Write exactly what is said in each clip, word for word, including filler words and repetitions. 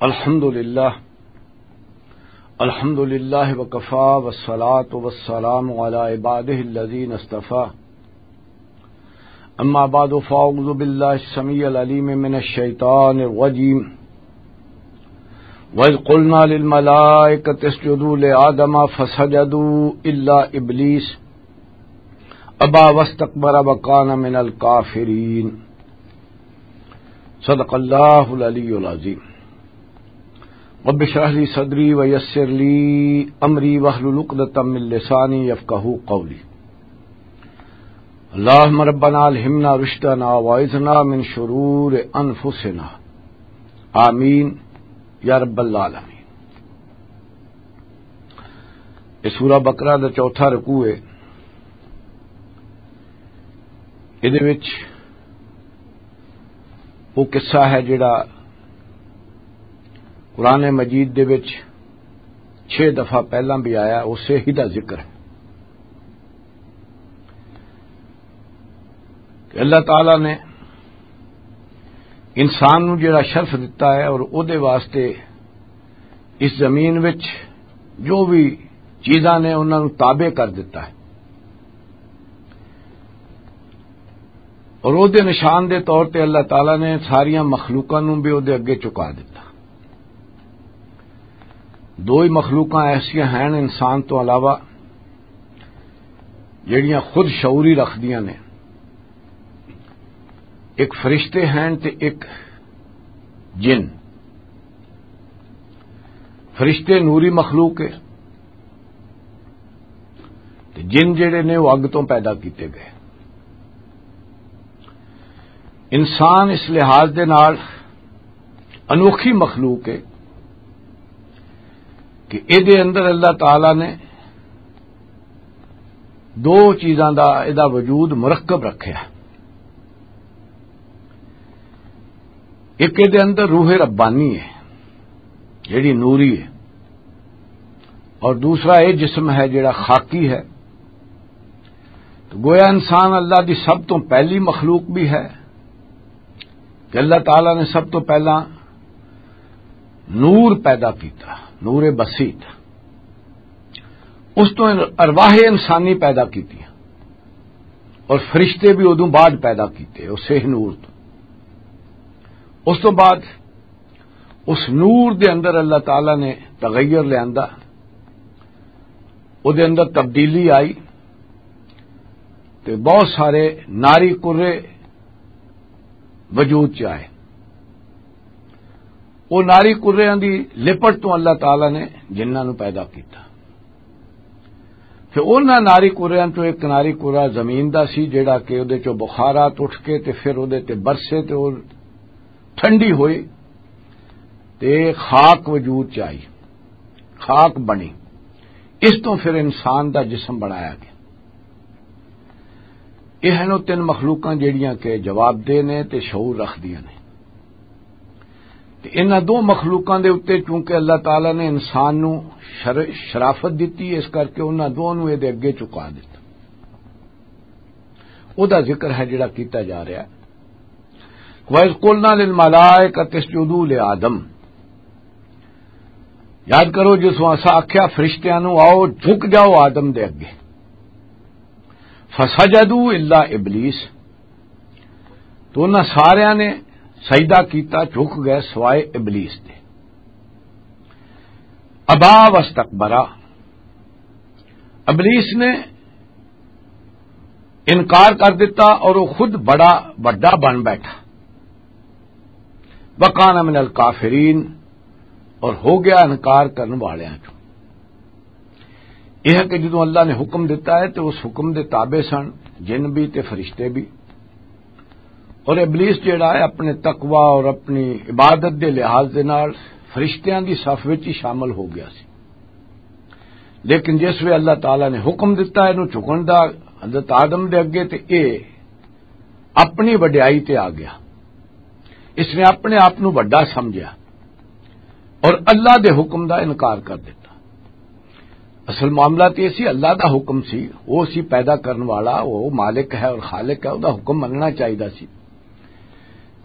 الحمد لله. الحمد لله وكفى، والصلاة والسلام على عباده الذين اصطفى. أما بعد، فأعوذ بالله السميع العليم من الشيطان الرجيم. وإذ قلنا للملائكة اسجدوا لآدم فسجدوا إلا إبليس أبى واستكبر وكان من الكافرين. صدق الله العلي العظيم. رب اشرح لي صدري ويسر لي أمري واحلل عقدة من لساني يفقهوا قولي. اللهم ربنا ألهمنا رشدنا وأعذنا من شرور أنفسنا. آمين يا رب العالمين. یہ سورہ بقرہ دا چوتھا رکوع ہے۔ ادھے وچ وہ قصہ ہے جڑا قرآن مجید دے وچ چھ دفعہ پہلاں بھی آیا، اسے ہی دا ذکر ہے کہ اللہ تعالیٰ نے انسان نو جڑا شرف دتا ہے اور او دے واسطے اس زمین وچ جو بھی چیزاں نے انہاں نوں تابع کر دتا ہے، اور او دے نشان دے طور تے اللہ تعالیٰ نے ساریاں مخلوقاں نوں بھی او دے اگے چکا دتا۔ دو ہی مخلوقاں ایسیاں ہیں انسان تو علاوہ جڑیاں خود شعوری رکھدیاں نے، ایک فرشتے ہیں تے ایک جن۔ فرشتے نوری مخلوق ہے، تے جن جڑے نے وہ اگ تو پیدا کیتے گئے۔ انسان اس لحاظ دے نال انوکھی مخلوق ہے کہ اے دے اندر اللہ تعالیٰ نے دو چیزاں دا ادا وجود مرکب رکھیا۔ ایک اے دے اندر روح ربانی ہے جڑی نوری ہے، اور دوسرا اے جسم ہے جڑا خاکی ہے۔ تو گویا انسان اللہ دی سب تو پہلی مخلوق بھی ہے کہ اللہ تعالیٰ نے سب تو پہلا نور پیدا کیتا، نور بسیط۔ اس تو ارواح انسانی پیدا کیتی اور فرشتے بھی ادوں بعد پیدا کیتے اسے نور تو۔ اس تو بعد اس نور دے اندر اللہ تعالیٰ نے تغیر لیا، او دے اندر تبدیلی آئی تے بہت سارے ناری کرے وجود چ آئے۔ او ناری کریاں دی لپٹ تو اللہ تعالیٰ نے جنہاں نوں پیدا کیتا۔ تے انہاں ناری کریاں چوں ایک ناری کرا زمین دا سی، جڑا کہ اودے چوں بخارات اٹھ کے تے پھر اودے تے برسے تے او ٹھنڈی ہوئی تے خاک وجود چ آئی، خاک بنی۔ اس تو پھر انسان دا جسم بنایا گیا۔ یہ ہیں او تین مخلوقاں جڑیاں کہ جواب دہ نے تے شعور رکھدیاں نے۔ تے انہاں دو مخلوقاں دے اُتے چونکہ اللہ تعالیٰ نے انسان نوں شر-، شرافت دتی، اس کر کے انہاں دوواں نوں اے دے اگے چکا دتا۔ او دا ذکر ہے جڑا کیتا جا رہا ہے۔ وَإِذْ قُلْنَا لِلْمَلَائِكَةِ اسْجُدُوا لِآدَمَ۔ یاد کرو جس وقت اسا آکھیا فرشتیاں نوں، "آؤ، جھک جاؤ آدم دے اگے۔" فَسَجَدُوا إِلَّا إِبْلِيسَ۔ تو انہاں ساریاں نے سجدہ کیتا، جھک گئے سوائے ابلیس دے۔ ابا واستکبرا، ابلیس نے انکار کر دیتا اور وہ خود بڑا وڈا بن بیٹھا۔ وکان من الکافرین، اور ہو گیا انکار کرن والیاں چوں۔ یہ ہے کہ جدوں اللہ نے حکم دیتا ہے تو اس حکم دے تابع سن جن بھی تے فرشتے بھی۔ اور ابلیس جڑا ہے اپنے تقوی اور اپنی عبادت دے لحاظ دے نال فرشتیاں دی صف وچ ہی شامل ہو گیا سی۔ لیکن جس وے اللہ تعالیٰ نے حکم دیتا ہے انہوں جھکن دا حضرت آدم دے اگے تے اے اپنی وڈیائی تے آ گیا۔ اس نے اپنے آپ نو وڈا سمجھیا اور اللہ دے حکم دا انکار کر دیتا۔ اصل معاملہ تے اسی اللہ دا حکم سی، وہ سی پیدا کرن والا، وہ مالک ہے اور خالق ہے، وہ دا حکم مننا چاہیدا سی۔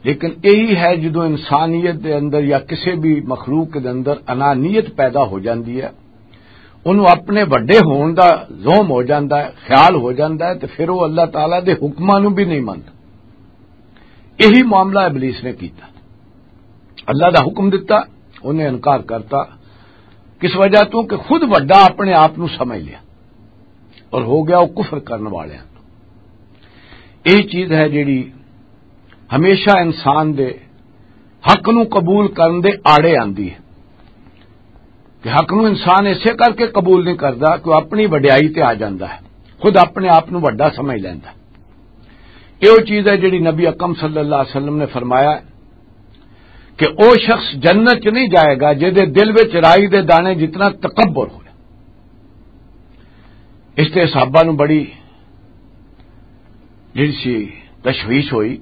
لیکن یہی ہے، جدوں انسانیت دے اندر یا کسی بھی مخلوق دے اندر انانیت پیدا ہو جاندی ہے، انہوں اپنے وڈے ہون دا زوم ہو جاندا ہے، خیال ہو جاندا ہے، تے پھر وہ اللہ تعالیٰ دے حکماں نوں بھی نہیں مندا۔ یہی معاملہ ابلیس نے کیتا۔ اللہ دا حکم دتا، انہیں انکار کرتا۔ کس وجہ تو؟ کہ خود وڈا اپنے آپ نو سمجھ لیا اور ہو گیا وہ کفر کرن والے۔ یہ چیز ہے جیڑی ہمیشہ انسان دے حق نو قبول کرن دے آڑے آندی ہے، کہ حق نو انسان اسے کر کے قبول نہیں کردا کہ وہ اپنی وڈیائی تے آ جاندا ہے، خود اپنے آپ نو وڈا سمجھ لیندا۔ یہ وہ چیز ہے جیڑی نبی اکرم صلی اللہ علیہ وسلم نے فرمایا کہ او شخص جنت چ نہیں جائے گا جے دے دل وچ رائی دے دانے جتنا تکبر ہوئے۔ اس تے صحابہ نو بڑی جڑی سی تشویش ہوئی۔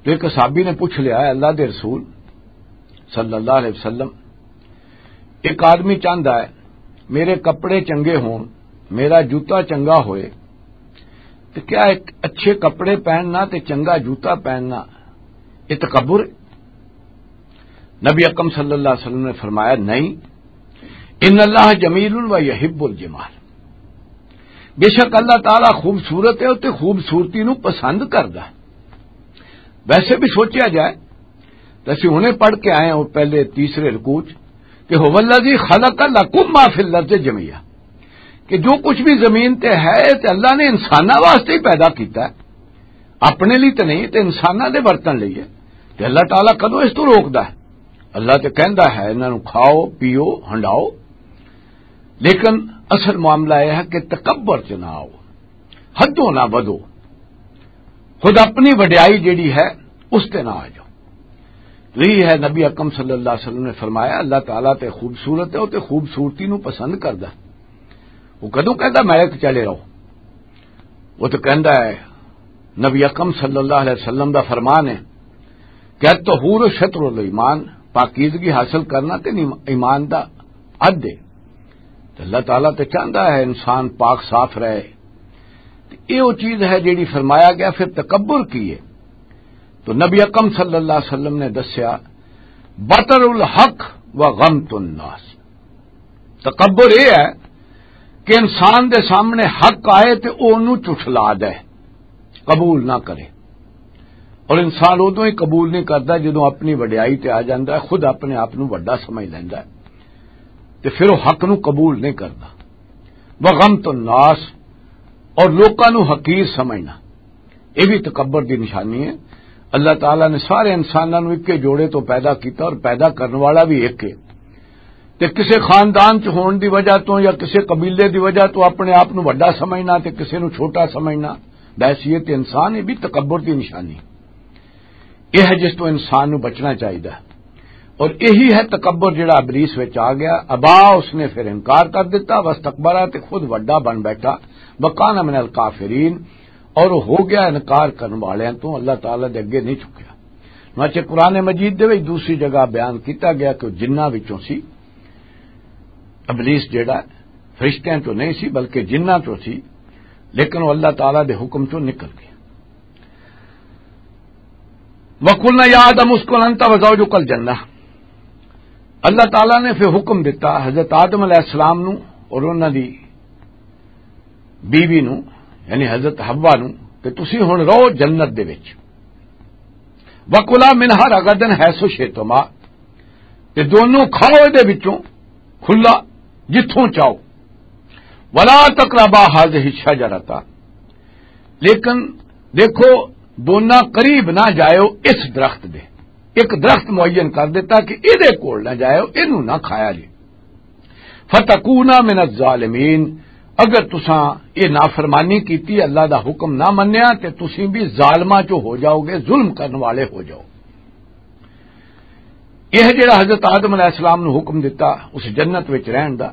تو ایک صحابی نے پوچھ لیا، "اے اللہ دے رسول صلی اللہ علیہ وسلم، ایک آدمی چاہندا ہے میرے کپڑے چنگے ہون، میرا جوتا چنگا ہوئے، تو کیا ایک اچھے کپڑے پہننا تے چنگا جوتا پہننا یہ تکبر ہے؟" نبی اکرم صلی اللہ علیہ وسلم نے فرمایا، "نہیں، ان اللہ جمیل و یحب الجمال، بے شک اللہ تعالیٰ خوبصورت ہے تے خوبصورتی نو پسند کردا ہے۔" ویسے بھی سوچیا جائے تو اسی ہنے پڑھ کے آئے ہاں پہلے تیسرے رکوع چ کہ "هو الذی خلق لکم ما فی الارض جمیعا"، کہ جو کچھ بھی زمین تے ہے تے اللہ نے انساناں واسطے ہی پیدا کیتا ہے، اپنے لیے تے نہیں، تے انساناں دے برتن لئی ہے۔ تے اللہ تعالیٰ کدوں اس تو روکدا ہے؟ اللہ تے کہندا ہے انہاں نوں کھاؤ، پیو، ہنڈاؤ، لیکن اصل معاملہ یہ ہے کہ تکبر چ نہ آؤ، حدوں نہ ودو، خود اپنی وڈیائی جیڑی ہے اس تے نہ آ جاؤ۔ تو یہی ہے نبی اکرم صلی اللہ علیہ وسلم نے فرمایا، اللہ تعالیٰ تے خوبصورت ہے، وہ تے خوبصورتی نو پسند کردا۔ وہ کدوں کہندا میں ایک چلے رہو؟ وہ تو کہندا ہے، نبی اکرم صلی اللہ علیہ وسلم دا فرمان ہے کہ "الطہور شطر الایمان"، پاکیزگی حاصل کرنا تے نیم-، ایمان دا حد ہے۔ تے اللہ تعالیٰ تے چاہندا ہے انسان پاک صاف رہے۔ تے یہ وہ چیز ہے جیڑی فرمایا گیا۔ پھر تکبر کی ہے؟ تو نبی اکرم صلی اللہ علیہ وسلم نے دسیا، "بطر الحق و غمت الناس"۔ تکبر یہ ہے کہ انسان دے سامنے حق آئے تے او اونوں چٹھلا دے، قبول نہ کرے۔ اور انسان ادوں ہی قبول نہیں کردا جدوں اپنی وڈیائی تے آ جاندا ہے، خود اپنے آپ نوں وڈا سمجھ لیندا ہے تے پھر وہ حق نوں قبول نہیں کردا۔ وغمت الناس، اور لوکاں نوں حقیر سمجھنا، یہ بھی تکبر دی نشانی ہے۔ اللہ تعالیٰ نے سارے انساناں نوں اکے جوڑے تو پیدا کیتا اور پیدا کرن والا بھی ایک ہے۔ تے کسے خاندان چ ہون دی وجہ تو یا کسے قبیلے دی وجہ تو اپنے آپ نوں وڈا سمجھنا تے کسے نوں چھوٹا سمجھنا، بحیثیت انسان، یہ بھی تکبر دی نشانی۔ یہ ہے جس تو انسان نوں بچنا چاہیدا ہے۔ اور یہی ہے تکبر جڑا ابلیس وچ آ گیا۔ ابا، اس نے پھر انکار کر دیتا، واستکبر، تے خود وڈا بن بیٹھا، وکان من الکافرین، اور ہو گیا انکار کرن والیاں تو، اللہ تعالیٰ دے اگے نہیں چکیا۔ چنانچہ قرآن مجید دے وچ دوسری جگہ بیان کیتا گیا کہ وہ جنہاں وچوں سی، ابلیس جڑا فرشتیاں چوں نہیں سی بلکہ جنہاں چوں سی، لیکن وہ اللہ تعالیٰ دے حکم چوں نکل گیا۔ "وقلنا یا آدم اسکن انت و زوجک الجنہ۔" اللہ تعالیٰ نے پھر حکم دیتا حضرت آدم علیہ السلام نو اور انہاں دی بیوی نو، یعنی حضرت حوا نو، کہ تسی ہن رہو جنت دے وچ۔ "وکلا منہا رغدا حیث شئتما"، تے دونوں کھاؤ دے وچوں کھلا جتھوں چاہو۔ "ولا تقربا هذه الشجرة"، لیکن دیکھو، دونوں قریب نہ جائیو اس درخت دے۔ ایک درخت معین کر دیتا کہ اے دے کول نہ جائیو، اینوں نہ کھایا جی۔ "فتکونا من الظالمین"، اگر تساں یہ نافرمانی کیتی، اللہ دا حکم نہ منیا، تے تسیں بھی ظالماں چوں ہو جاؤ گے، ظلم کرن والے ہو جاؤ۔ یہ جڑا حضرت آدم علیہ السلام نو حکم دتا اس جنت وچ رہن دا،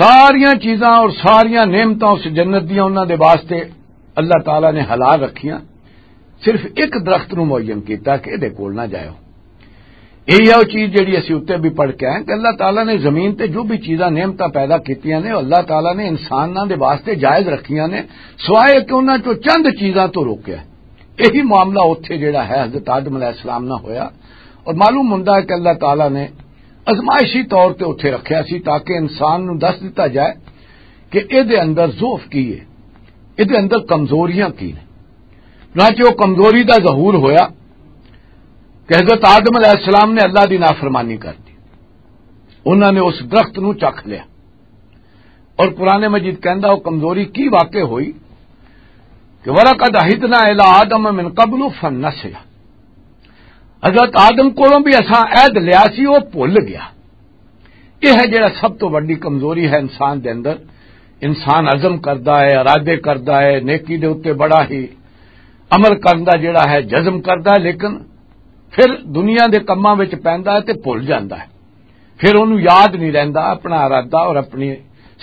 ساریاں چیزاں اور ساریاں نعمتاں اس جنت دیاں انہاں دے واسطے اللہ تعالیٰ نے حلال رکھیاں، صرف ایک درخت نو معین کیتا کہ اے دے کول نہ جائیو۔ یہی ہے وہ چیز جڑی اسی اتنے بھی پڑھ کے آئے کہ اللہ تعالیٰ نے زمین تے جو بھی چیزاں نعمتاں پیدا کیتیاں نے، اللہ تعالیٰ نے انساناں دے واسطے جائز رکھیاں نے، سوائے کہ انہاں چوں چند چیزاں تو روکیا۔ یہی معاملہ اتھے جڑا ہے حضرت آدم علیہ السلام نہ ہویا۔ اور معلوم ہوندا ہے کہ اللہ تعالیٰ نے ازمائشی طور تے اتھے رکھیا سی تاکہ انسان نو دس دتا جائے کہ اے دے اندر ضعف کی ہے، اے دے اندر کمزوریاں کی نے۔ چنانچہ وہ کمزوری دا ظہور ہویا کہ حضرت آدم علیہ السلام نے اللہ دی نافرمانی کر دی، انہاں نے اس درخت نو چکھ لیا۔ اور قرآن مجید کہندا وہ کمزوری کی واقع ہوئی کہ وَلَقَدْ عَهِدْنَا إِلَىٰ آدَمَ مِنْ قَبْلُ فَنَسِيَ۔ حضرت آدم کولوں بھی اساں عہد لیا سی، وہ بھول گیا۔ یہ ہے جڑا سب تو وڈی کمزوری ہے انسان دے اندر۔ انسان عزم کردا ہے، ارادے کردا ہے، نیکی دے اُتے بڑا ہی عمل کرن دا جڑا ہے جزم کردا ہے، لیکن پھر دنیا دے کماں وچ پیندا ہے تے بھول جاندا ہے۔ پھر اونوں یاد نہیں رہندا اپنا ارادہ اور اپنی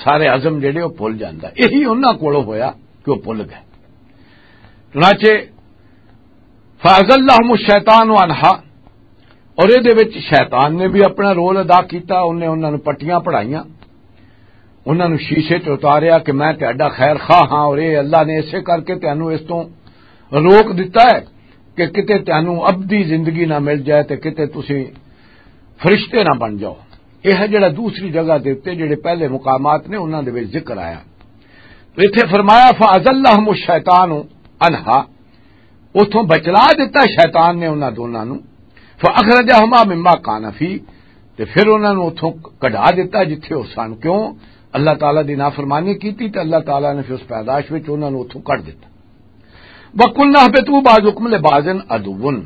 سارے عزم جڑے وہ بھول جاندا ہے۔ یہی انہاں کولوں ہویا کہ وہ بھول گئے۔ چنانچہ فَأَزَلَّهُمُ الشَّيْطَانُ عَنْهَا، اور اے دے وچ شیطان نے بھی اپنا رول ادا کیتا، انہیں انہاں نوں پٹیاں پڑھائیاں، انہاں نوں شیشے چ اتاریا کہ میں تہاڈا خیر خواہ ہاں، اور اے اللہ نے اسے کر کے تینوں اس تو روک دتا ہے کہ کتے تینوں ابدی زندگی نہ مل جائے تے کتے تسی فرشتے نہ بن جاؤ۔ یہ ہے جڑا دوسری جگہ دے اُتے جڑے پہلے مقامات نے انہاں دے وچ ذکر آیا۔ تو اتھے فرمایا فَأَزَلَّهُمُ الشَّيْطَانُ عَنْهَا، اتھوں بچلا دتا شیطان نے انہاں دوناں نوں۔ فَأَخْرَجَهُمَا مِمَّا كَانَا فِيهِ، تے پھر انہاں نوں اتھوں کڈھا دتا جتھے او سن۔ کیوں؟ اللہ تعالیٰ دی نافرمانی کیتی تے اللہ تعالیٰ نے پھر اس پیدائش وچ انہاں نوں اتھوں کڈ دتا۔ وَقُلْنَا اهْبِطُوا بَعْضُكُمْ لِبَعْضٍ عَدُوٌّ،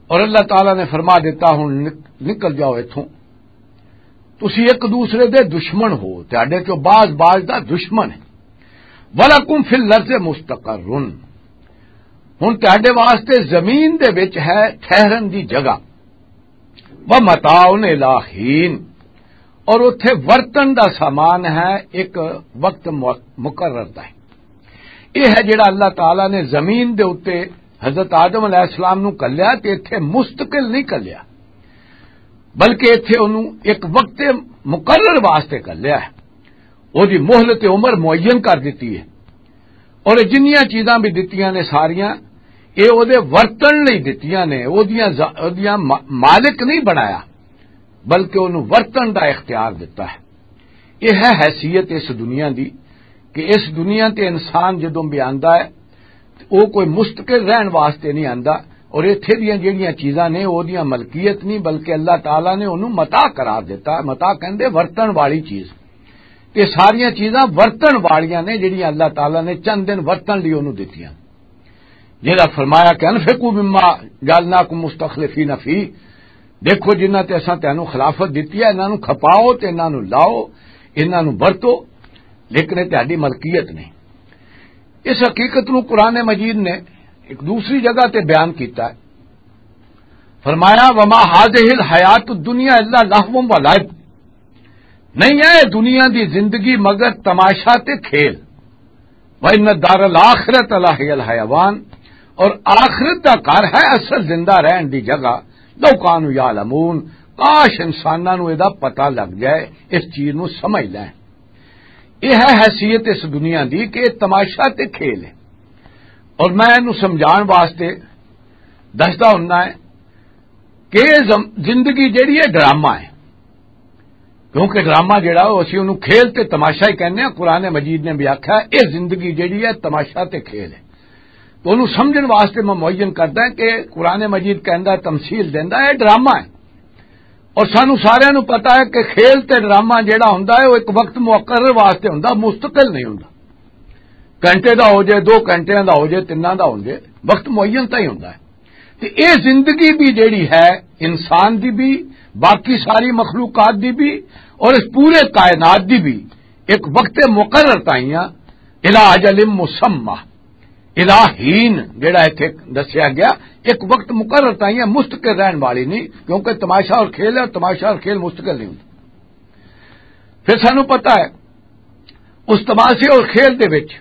اور اللہ تعالیٰ نے فرما دیتا ہن نک-، نکل جاؤ اتھوں، تسی ایک دوسرے دے دشمن ہو، تہاڈے چوں بعض بعض دا دشمن ہے۔ وَلَكُمْ فِي الْأَرْضِ مُسْتَقَرٌّ، ہن تہاڈے واسطے زمین دے وچ ہے ٹھہرن دی جگہ۔ وَمَتَاعٌ إِلَىٰ حِينٍ، اور اتھے ورتن دا سامان ہے ایک وقت مو-، مقرر دا ہے۔ یہ ہے جڑا اللہ تعالیٰ نے زمین دے اُتے حضرت آدم علیہ السلام نو کلیا تے اتھے مستقل نہیں کلیا، بلکہ اتھے انہوں ایک وقت مقرر واسطے کلیا ہے۔ او دی مہلت عمر معین کر دیتی ہے۔ اور جنیاں چیزاں بھی دتیاں نے ساریاں، اے او دے ورتن لئی دتیاں نے، او دیاں ز-، او دیاں ما-، مالک نہیں بنایا، بلکہ انہوں ورتن دا اختیار دتا ہے۔ یہ ہے حیثیت اس دنیا دی کہ اس دنیا تے انسان جدوں بھی آندا ہے تے او کوئی مستقل رہن واسطے نہیں آندا، اور ایتھے دیاں جڑیاں چیزاں نے او دیاں ملکیت نہیں، بلکہ اللہ تعالیٰ نے انہوں متاع قرار دیتا ہے۔ متاع کہندے ورتن والی چیز۔ یہ ساریاں چیزاں ورتن والیاں نے جڑیاں اللہ تعالیٰ نے چند دن ورتن لئی انہوں دتیاں۔ جہاں فرمایا کہ انفقوا مما جعلناکم مستخلفین فیہ، دیکھو جنہاں تے اساں تینوں خلافت دتی ہے، انہاں نوں کھپاؤ تے انہاں نوں لاؤ، انہاں نوں ورتو، لیکن یہ تہاڈی ملکیت نہیں۔ اس حقیقت نوں قرآن مجید نے ایک دوسری جگہ تے بیان کیتا ہے۔ فرمایا، وما هذه الحیات الدنیا الا لهو و لعب، نہیں ہے دنیا دی زندگی مگر تماشا تے کھیل۔ وَإِنَّ الدَّارَ الْآخِرَةَ لَهِيَ الْحَيَوَانُ، اور آخرت دا گھر ہے اصل زندہ رہن دی جگہ۔ لَوْ كَانُوا يَعْلَمُونَ، کاش انساناں نوں اے دا پتہ لگ جائے، اس چیز نوں سمجھ لیں۔ یہ ہے حیثیت اس دنیا دی کہ یہ تماشا تے کھیل ہے۔ اور میں انہوں سمجھان واسطے دسدا ہوندا ہے کہ یہ زم-، زندگی جڑی ہے ڈرامہ ہے، کیونکہ ڈرامہ جڑا وہ اسی انہوں کھیل تے تماشا ہی کہنے ہیں۔ قرآن مجید نے بھی آکھا ہے، یہ زندگی جڑی ہے تماشا تے کھیل ہے۔ تو انہوں سمجھن واسطے میں معین کردا ہے کہ قرآن مجید کہندا ہے، تمثیل دیندا ہے، یہ ڈرامہ ہے۔ اور سانو سارے نو پتا ہے کہ کھیل تے ڈرامہ جڑا ہوندا ہے، وہ ایک وقت مقرر واسطے ہوندا، مستقل نہیں ہوندا۔ گھنٹے دا ہو جائے، دو گھنٹے دا ہو جائے، تیناں دا ہو جائے، وقت معین تاں ہی ہوندا ہے۔ تے اے زندگی بھی جیڑی ہے، انسان دی بھی، باقی ساری مخلوقات دی بھی، اور اس پورے کائنات دی بھی ایک وقت مقرر تائیاں، الی اجل مسمی، الی حین، جیڑا ایتھے دسیا گیا، ایک وقت مقرر تائیاں مستقل رہن والی نہیں، کیونکہ تماشا اور کھیل ہے، اور تماشا اور کھیل مستقل نہیں ہوندا۔ پھر سانو پتہ ہے، اس تماشے اور کھیل دے وچ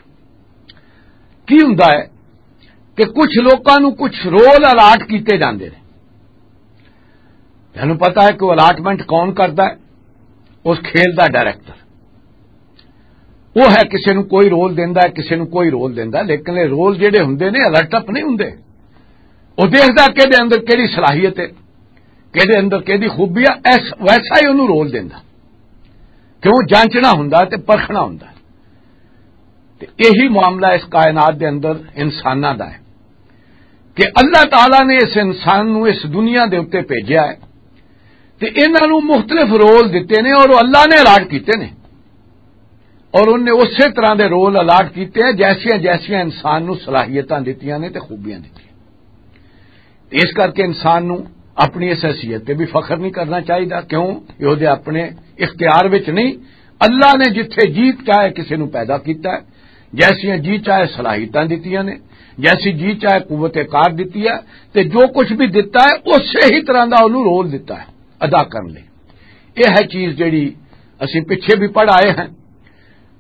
کی ہوندا ہے کہ کچھ لوکاں نوں کچھ رول الاٹ کیتے جاندے نے۔ تانوں پتہ ہے کہ وہ الاٹمنٹ کون کردا ہے؟ اس کھیل دا ڈائریکٹر۔ وہ ہے کسی نو کوئی رول دیندا ہے، کسی نو کوئی رول دیندا ہے، لیکن یہ رول جڑے ہوندے نے، الٹ اپ نہیں ہوندے۔ وہ دیکھدا کہ دے اندر کیڑی صلاحیت ہے، کہ دے اندر کیڑی خوبی ہے، ایس-، ویسا ہی انہوں رول دیندا۔ کیوں؟ جانچنا ہوندا تے پرکھنا ہوندا۔ تے یہی معاملہ اس کائنات دے اندر انساناں دا ہے کہ اللہ تعالیٰ نے اس انسان نو اس دنیا دے اُتے بھیجیا ہے تے انہاں نو مختلف رول دتے نے اور وہ اللہ نے الاٹ کیتے نے۔ اور انہیں اسی طرح دے رول الاٹ کیتے ہیں جیسیاں جیسیاں انسان نو صلاحیتاں دتیاں نے تے خوبیاں دتیاں۔ اس کر کے انسان نو اپنی اس حیثیت تے بھی فخر نہیں کرنا چاہیدا۔ کیوں؟ یہ اودے اپنے اختیار وچ نہیں۔ اللہ نے جتھے جی چاہے کسی نو پیدا کیتا ہے، جیسیاں جی چاہے صلاحیتاں دتیاں نے، جیسی جی چاہے قوت کار دتی ہے، تے جو کچھ بھی دتا ہے، اسی ہی طرح دا انہوں رول دتا ہے ادا کرن لئی۔ یہ ہے چیز جڑی اسی پچھے بھی پڑھ آئے ہیں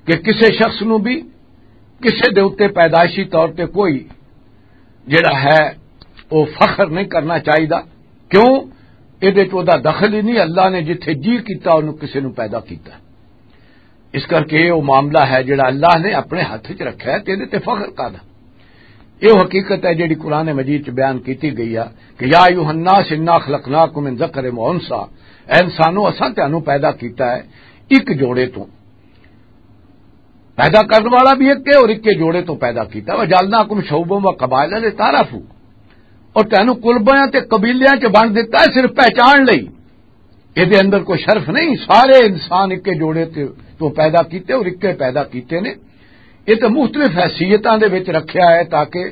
کہ کسے شخص نو بھی کسے دے اُتے پیدائشی طور تے کوئی جڑا ہے، وہ فخر نہیں کرنا چاہیدا۔ کیوں؟ یہ دخل ہی نہیں۔ اللہ نے جتھے جی کیتا، انہوں کسے نو پیدا کیتا۔ اس کر کے یہ وہ معاملہ ہے جڑا اللہ نے اپنے ہاتھ وچ رکھا ہے، تے تے فخر کردا۔ یہ حقیقت ہے جڑی قرآن مجید چ بیان کیتی گئی ہے کہ یا ایھا الناس انا خلقناکم من ذکر و انثی، اے انسانو، اساں تانوں پیدا کیتا ہے ایک جوڑے تو۔ پیدا کرن والا بھی ایک ہے اور ایک کے جوڑے تو پیدا کیتا۔ وجعلناکم شعوبا و قبائل لتعارفوا، اور تینوں قلبیاں تے قبیلیاں چ بن دیتا ہے صرف پہچان لئی۔ یہ دے اندر کوئی شرف نہیں، سارے انسان ایک کے جوڑے تے تو پیدا کیتے اور ایک کے پیدا کیتے نے۔ یہ تو مختلف حیثیتاں دے وچ رکھیا ہے تاکہ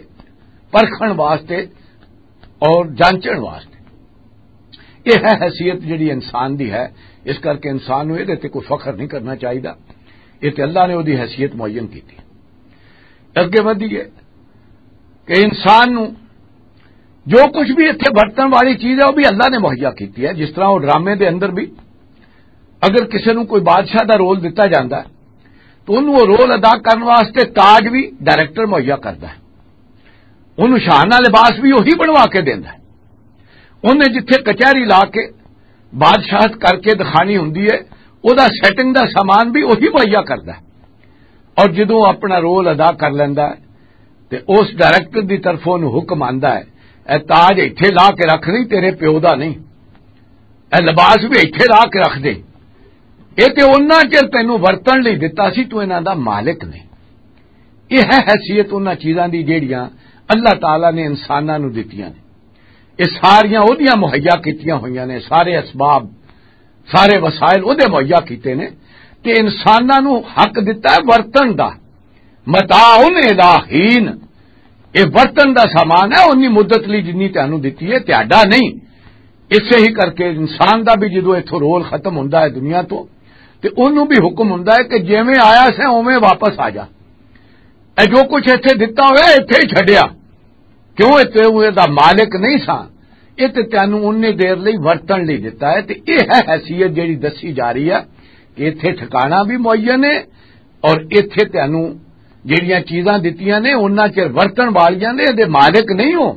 پرکھن واسطے اور جانچن واسطے۔ یہ ہے حیثیت جڑی انسان دی ہے، اس کر کے انسان نوں یہ تے کوئی فخر نہیں کرنا چاہیدا۔ یہ تے اللہ نے وہ دی حیثیت معین کی تھی۔ اگے ودھیے کہ انسان نوں جو کچھ بھی اتھے برتن والی چیز ہے، وہ بھی اللہ نے مہیا کیتی ہے۔ جس طرح وہ ڈرامے دے اندر بھی اگر کسی نوں کوئی بادشاہ دا رول دتا جاندا ہے، تو انہوں وہ رول ادا کرن واسطے تاج بھی ڈائریکٹر مہیا کردا ہے، انہوں شاہانہ لباس بھی وہی بنوا کے دیندا ہے۔ انہیں جتھے کچہری لا کے بادشاہت کر کے دکھانی ہوندی ہے، او دا سیٹنگ دا سامان بھی وہی مہیا کردا ہے۔ اور جدوں اپنا رول ادا کر لیندا ہے تے اس ڈائریکٹر دی طرفوں انہوں حکم آندا ہے، اے تاج ایتھے لا کے رکھ، نہیں تیرے پیو دا نہیں، اے لباس بھی ایتھے لا کے رکھ دے، اے تے انہاں چر تینوں ورتن لئی دتا سی، تو انہاں دا مالک نہیں۔ یہ ہے حیثیت انہاں چیزاں دی جیڑیاں اللہ تعالیٰ نے انساناں نوں دتیاں نے۔ یہ ساریاں اودیاں مہیا کیتیاں ہوئیاں نے، سارے اسباب، سارے وسائل اودے مہیا کیتے نے، تے انساناں نوں حق دتا ہے ورتن دا۔ متاع الی حین، یہ ورتن دا سامان ہے، انی مدت لئی جنی تانوں دتی ہے، تہاڈا نہیں۔ اسے ہی کر کے انسان دا بھی جدوں اتھوں رول ختم ہوندا ہے دنیا تو، تے اونوں بھی حکم ہوندا ہے کہ جیویں آیا سیں اوویں واپس آ جا۔ اے جو کچھ ایتھے دتا ہویا، ایتھے ہی چھڈیا۔ کیوں؟ اے تے اوہ دا مالک نہیں سا، اے تے تینوں اُنی دیر لئی ورتن لئی دتا ہے۔ تے اے ہے حیثیت جڑی دسی جا رہی ہے کہ ایتھے ٹھکانا بھی معین ہے اور ایتھے تینوں جڑیاں چیزاں دتیاں نے، انہاں چ ورتن والیاں نے، اے دے مالک نہیں ہو،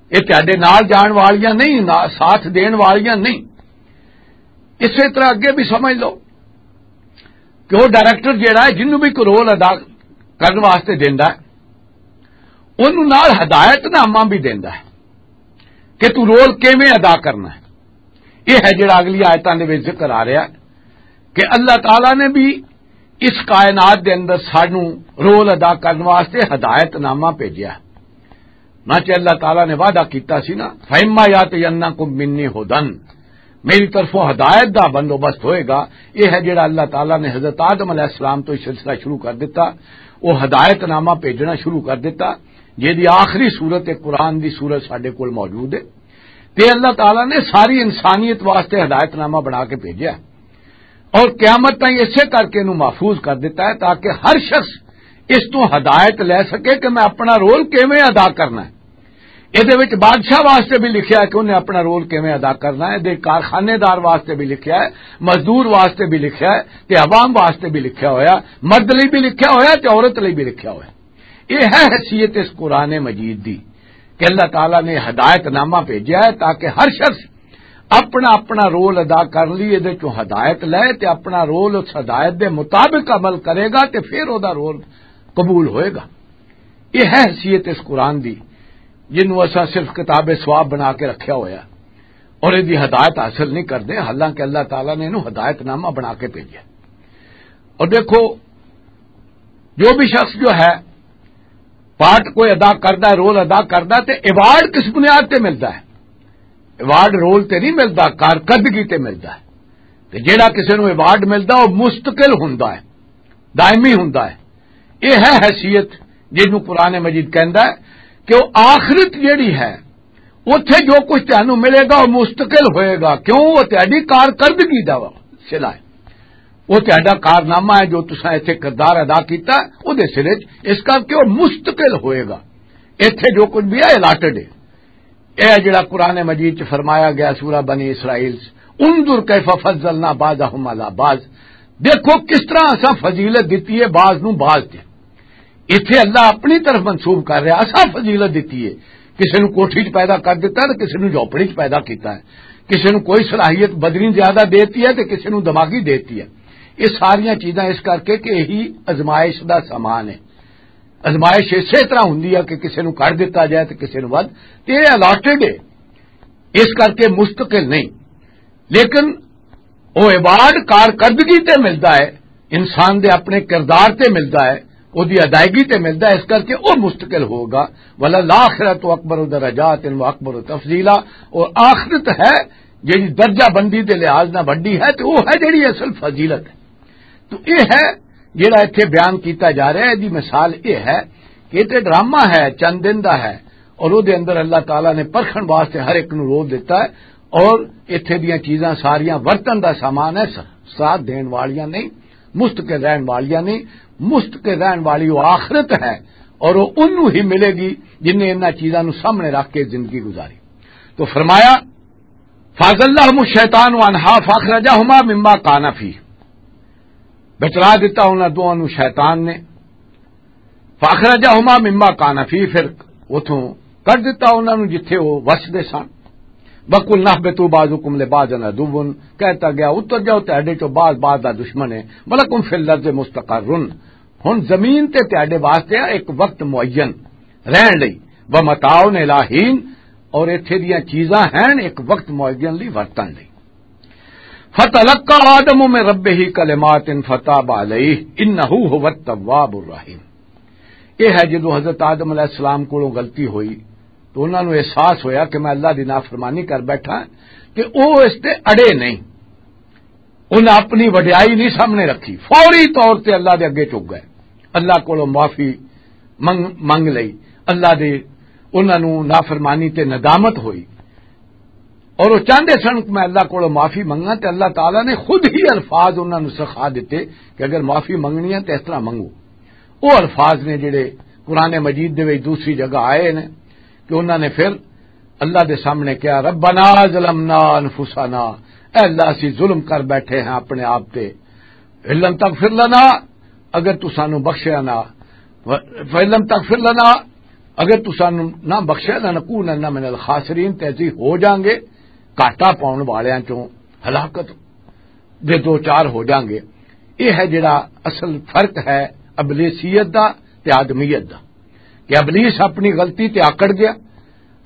اے تہاڈے نال جان والیاں نہیں، نا-، ساتھ دین والیاں نہیں۔ اسے طرح اگے بھی سمجھ لو کہ وہ ڈائریکٹر جڑا ہے، جنوں بھی کوئی رول ادا کرن واسطے دیندا ہے، انہوں نال ہدایت نامہ بھی دیندا ہے کہ تو رول کیویں ادا کرنا ہے۔ یہ ہے جڑا اگلی آیتاں دے وچ ذکر آ رہا ہے کہ اللہ تعالیٰ نے بھی اس کائنات دے اندر سانوں رول ادا کرن واسطے ہدایت نامہ بھیجیا۔ نہ کہ اللہ تعالیٰ نے وعدہ کیتا سی نا، "فَإِمَّا يَأْتِيَنَّكُم مِّنِّي هُدًى"، میری طرفوں ہدایت دا بندوبست ہوئے گا۔ یہ ہے جڑا اللہ تعالیٰ نے حضرت آدم علیہ السلام تو یہ سلسلہ شروع کر دیتا، وہ ہدایت نامہ بھیجنا شروع کر دیتا، جہدی آخری صورت قرآن دی صورت ساڈے کول موجود ہے۔ تے اللہ تعالیٰ نے ساری انسانیت واسطے ہدایت نامہ بنا کے بھیجا۔ اور قیامت تائیں اسے کر کے انہوں محفوظ کر دیتا ہے تاکہ ہر شخص اس تو ہدایت لے سکے کہ میں اپنا رول کیویں ادا کرنا ہے۔ یہ دے وچ بادشاہ واسطے بھی لکھیا ہے کہ انہیں اپنا رول کیویں ادا کرنا ہے، دے کارخانے دار واسطے بھی لکھیا ہے، مزدور واسطے بھی لکھیا ہے، تے عوام واسطے بھی لکھیا ہویا، مرد لئی بھی لکھیا ہویا تے عورت لئی بھی لکھیا ہویا۔ یہ ہے حیثیت اس قرآن مجید دی کہ اللہ تعالیٰ نے ہدایت نامہ بھیجا ہے تاکہ ہر شخص اپنا اپنا رول ادا کر لی، ادھر چوں ہدایت لے تے اپنا رول اس ہدایت دے مطابق عمل کرے گا تے پھر او دا رول قبول ہوئے گا۔ یہ ہے حیثیت اس قرآن دی، جنوں اساں صرف کتاب ثواب بنا کے رکھیا ہویا اور اس دی ہدایت حاصل نہیں کردے، حالانکہ اللہ تعالیٰ نے انہوں ہدایت نامہ بنا کے بھیجا۔ اور دیکھو، جو بھی شخص جو ہے پارٹ کوئی ادا کردا ہے، رول ادا کردا ہے، تے ایوارڈ کس بنیاد تے ملدا ہے؟ ایوارڈ رول تے نہیں ملدا، کارکردگی تے ملدا ہے۔ تے جیڑا کسے نوں ایوارڈ ملدا، وہ مستقل ہوندا ہے، دائمی ہوندا ہے۔ یہ ہے حیثیت جس نوں قرآن مجید کہندا ہے کہ وہ آخرت جیڑی ہے، اوتھے جو کچھ تانوں ملے گا، وہ مستقل ہوئے گا۔ کیوں؟ وہ تہاڈی کارکردگی دا صلہ ہے، وہ تہاڈا کارنامہ ہے، جو تساں ایتھے کردار ادا کیتا، وہ دے سلے چ، اس کر کے وہ مستقل ہوئے گا۔ ایتھے جو کچھ بھی ہے، الاٹڈ ہے۔ اے جڑا قرآن مجید چ فرمایا گیا سورہ بنی اسرائیل چ، "انظر کیف فضلنا بعضهم علی بعض"، دیکھو کس طرح اساں فضیلت دتی ہے بعض نو بعض تے۔ ایتھے اللہ اپنی طرف منسوب کر رہا، اساں فضیلت دتی ہے۔ کسے نو کوٹھی چ پیدا کر دیتا ہے تے کسے نو جھوپڑی چ پیدا کیتا ہے، کسے نو کوئی صلاحیت بدنی زیادہ دیتی ہے تے کسے نو دماغی دیتی ہے۔ یہ ساریاں چیزاں اس کر کے کہ یہی ازمائش دا سامان ہے۔ ازمائش اسی طرح ہوندی ہے کہ کسے نوں کر دتا جائے تے کسے نوں ود، تے یہ الاٹڈ ہے، اس کر کے مستقل نہیں۔ لیکن وہ ایوارڈ کارکردگی تے ملدا ہے، انسان دے اپنے کردار تے ملدا ہے، وہ دی ادائیگی تے ملدا ہے، اس کر کے وہ مستقل ہوگا۔ "وللآخرۃ اکبر درجات و اکبر تفضیلا"، اور آخرت ہے جڑی درجہ بندی دے لحاظ نہ وڈی ہے، تے وہ ہے جڑی اصل فضیلت ہے۔ تو یہ ہے جڑا ایتھے بیان کیتا جا رہا ہے، دی مثال یہ ہے کہ یہ تے ڈرامہ ہے، چند دن دا ہے، اور وہ دے اندر اللہ تعالیٰ نے پرکھن واسطے ہر ایک نو روک دیتا ہے، اور ایتھے دیاں چیزاں ساریاں ورتن دا سامان ہے، س-، ساتھ دین والیاں نہیں، مستقل رہن والیاں نہیں۔ مستقل رہن والی وہ آخرت ہے، اور وہ انہوں ہی ملے گی جن نے انہاں چیزاں نو سامنے رکھ کے زندگی گزاری۔ تو فرمایا، فَأَزَلَّهُمُ الشَّيْطَانُ عَنْهَا فَأَخْرَجَهُمَا مِمَّا كَانَا فِيهِ، بچلا دتا انہاں دوواں نوں شیطان نے۔ فَأَخْرَجَهُمَا مِمَّا كَانَا فِيهِ، پھر اتھوں کڈ دتا انہاں نوں جتھے وہ وسدے سن۔ وَقُلْنَا اهْبِطُوا بَعْضُكُمْ لِبَعْضٍ عَدُوٌّ، کہتا گیا، "اتر جاؤ، تہاڈے چوں بعض بعض دا دشمن ہے۔" وَلَكُمْ فِي الْأَرْضِ مُسْتَقَرٌّ، ہن زمین تے تہاڈے واسطے ہے ایک وقت معین رہن لئی، وَمَتَاعٌ إِلَىٰ حِينٍ، اور ایتھے دیاں چیزاں ہیں ایک وقت معین لئی ورتن لئی۔ فَتَلَقَّىٰ آدَمُ مِن رَّبِّهِ كَلِمَاتٍ فَتَابَ عَلَيْهِ إِنَّهُ هُوَ التَّوَّابُ الرَّحِيمُ۔ یہ ہے جدوں حضرت آدم علیہ السلام کولوں غلطی ہوئی تو انہاں نوں احساس ہویا کہ میں اللہ دی نافرمانی کر بیٹھا، کہ او اس تے اڑے نہیں، انہاں اپنی وڈیائی نہیں سامنے رکھی، فوری طور تے اللہ دے اگے چک گئے، اللہ کولوں معافی منگ، منگ لئی، اللہ دے، انہاں نوں نافرمانی تے ندامت ہوئی۔ اور وہ چاہتے سن کہ میں اللہ کو معافی منگا، تے اللہ تعالیٰ نے خود ہی الفاظ انہاں نوں سکھا دیتے کہ اگر معافی منگنی ہے تو اس طرح منگو۔ وہ الفاظ نے جڑے قرآن مجید دے وچ دوسری جگہ آئے نے کہ انہاں نے پھر اللہ دے سامنے کہا، "ربنا ظلمنا انفسنا"، اے اللہ، اسی ظلم کر بیٹھے ہیں اپنے آپ تے۔ "ان لم تغفر لنا"، اگر تو سانو بخشیا نہ، "فَإِن لَّمْ تَغْفِرْ لَنَا"، اگر تو سانو نہ بخشیا، "لَنَكُونَنَّ مِنَ الْخَاسِرِينَ"، تے اسی ہو جاؤں گے گھاٹا پاؤن والیاں چوں، ہلاکت دے دو چار ہو جاؤں گے۔ یہ ہے جڑا اصل فرق ہے ابلیسیت دا تے آدمیت دا، کہ ابلیس اپنی غلطی تے آکڑ گیا۔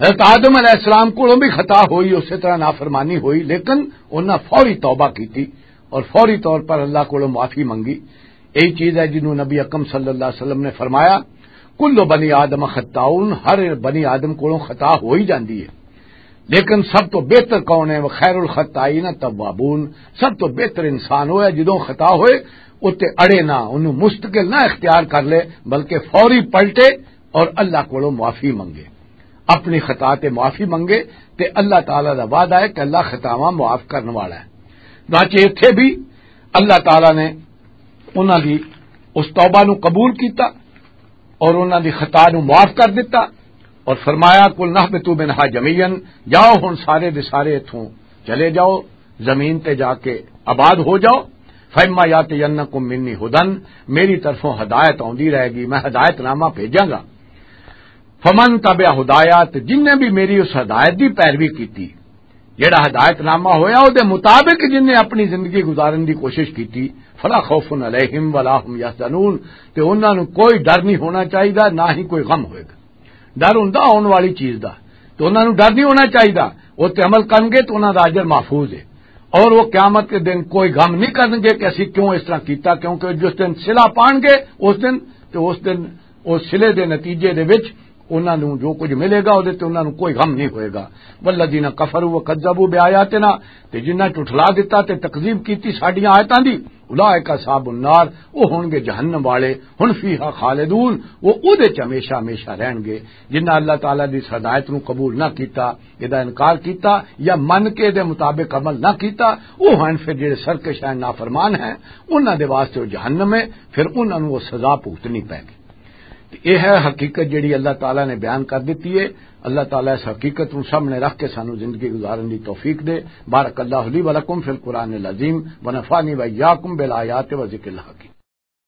حضرت آدم علیہ السلام کولوں بھی خطا ہوئی، اسی طرح نافرمانی ہوئی، لیکن انہاں فوری توبہ کیتی اور فوری طور پر اللہ کولوں معافی منگی۔ یہی چیز ہے جنہوں نبی اکرم صلی اللہ علیہ وسلم نے فرمایا، "کل بنی آدم خطاؤن"، ہر بنی آدم کولوں خطا ہو ہی جاندی ہے، لیکن سب تو بہتر کون ہے؟ "وخیر الخطائین التوابون"، سب تو بہتر انسان وہ ہے جدوں خطا ہوئے اتے اڑے نہ، انہوں مستقل نہ اختیار کر لے، بلکہ فوری پلٹے اور اللہ کولوں معافی منگے، اپنی خطا تے معافی منگے، تے اللہ تعالیٰ دا وعدہ ہے کہ اللہ خطاواں معاف کرن والا ہے۔ باقی اتھے بھی اللہ تعالیٰ نے انہاں دی اس توبہ نو قبول کیتا اور انہاں دی خطا نو معاف کر دتا اور فرمایا، "قُلْنَا اهْبِطُوا مِنْهَا جَمِيعًا"، جاؤ ہن سارے دے سارے اتھوں چلے جاؤ، زمین تے جا کے آباد ہو جاؤ۔ "فَإِمَّا يَأْتِيَنَّكُم مِّنِّي هُدًى"، میری طرفوں ہدایت آندی رہے گی، میں ہدایت نامہ بھیجاں گا۔ "فَمَن تَبِعَ هُدَايَ"، تے جن نے بھی میری اس ہدایت دی پیروی کیتی، جڑا ہدایت نامہ ہویا، او دے مطابق جن نے اپنی زندگی گزارن دی کوشش کیتی، فلا خوف علیہم ولا هم یحزنون، تے انہاں نوں کوئی ڈر نہیں ہونا چاہیدا، نہ ہی کوئی غم ہوئے گا۔ ڈر ہوندا آن والی چیز دا، تے انہاں نوں ڈر نہیں ہونا چاہیدا۔ او تے عمل کرن گے تے انہاں دا اجر محفوظ ہے، اور وہ قیامت کے دن کوئی غم نہیں کرن گے کہ اسی کیوں اس طرح کیتا، کیونکہ جس دن صلہ پان گے، اس دن، تے اس دن اس صلے دے نتیجے دے وچ انہاں نوں جو کچھ ملے گا، اودے تے انہاں نوں کوئی غم نہیں ہوئے گا۔ والذین کفروا وکذبوا بآیاتنا، تے جنہاں جھٹلا دتا تے تکذیب کیتی ساڈیاں آیتاں دی، اولئک اصحاب النار، او ہون گے جہنم والے، ہن فیہا خالدون، او اودے چ ہمیشہ ہمیشہ رہن گے۔ جنہاں اللہ تعالیٰ دی ہدایت نوں قبول نہ کیتا، ادا انکار کیتا یا من کے دے مطابق عمل نہ کیتا، او ہن پھر جڑے سرکش ہیں، نافرمان ہیں، انہاں دے واسطے او جہنم ہے، پھر انہاں نوں او سزا بھگتنی پے گی۔ تے یہ ہے حقیقت جڑی اللہ تعالیٰ نے بیان کر دیتی ہے۔ اللہ تعالیٰ اس حقیقت نوں سامنے رکھ کے سانو زندگی گزارن دی توفیق دے۔ بارک اللہ لی و لکم فی القرآن العظیم و نفعنی و ایاکم بالآیات و ذکر الحکیم۔